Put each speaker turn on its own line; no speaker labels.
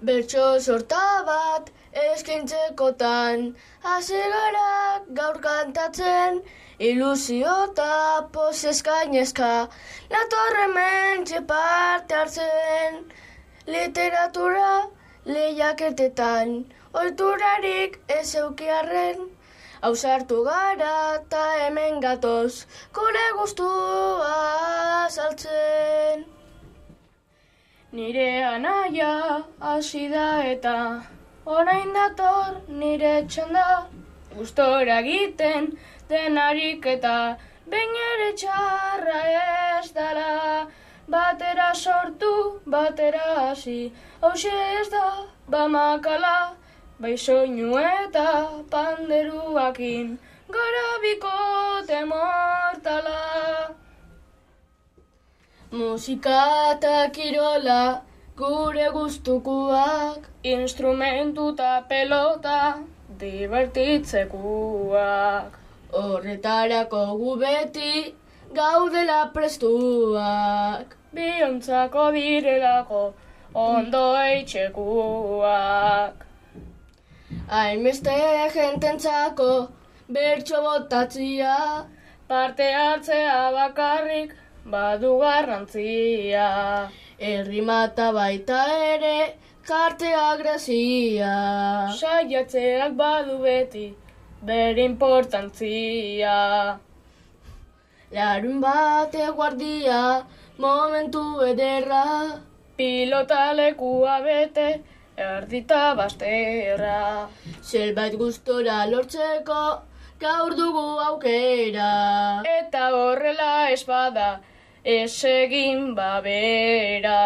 Bertso sorta bat eskaintzekotan, hasi gara gaur kantatzen, ilusio eta pozez gainezka, nator hementxe parte hartzen. Literatura lehiaketetan, ohiturarik ez eukiarren, ausartu gara eta hemen gatoz, gure gustua azaltzen. Nire anaia hasi da eta orain dator nire txanda, gustora egiten denarik eta behin ere txarra ez dala, batera sortu, batera hasi, hauxe ez da bamakala, bai soinu eta panderuakin, gara bikote mortala. Musika eta kirola, gure gustukuak, instrumentu eta pelota, divertitzekuak. Horretarako gu beti, gaudela prestuak, biontzako direlako, ondo eitxekuak. Hainbeste jententzako, bertso botatzia, parte hartzea bakarrik, badu garrantzia. Errimata baita ere, jartzea grazia. Saiatzeak badu beti, bere importantzia. Larun bate guardia, momentu ederra, pilota lekua bete, erdita basterra. Zerbait gustora lortzeko, gaur dugu aukera. Eta horrela ez bada, ez egin babera.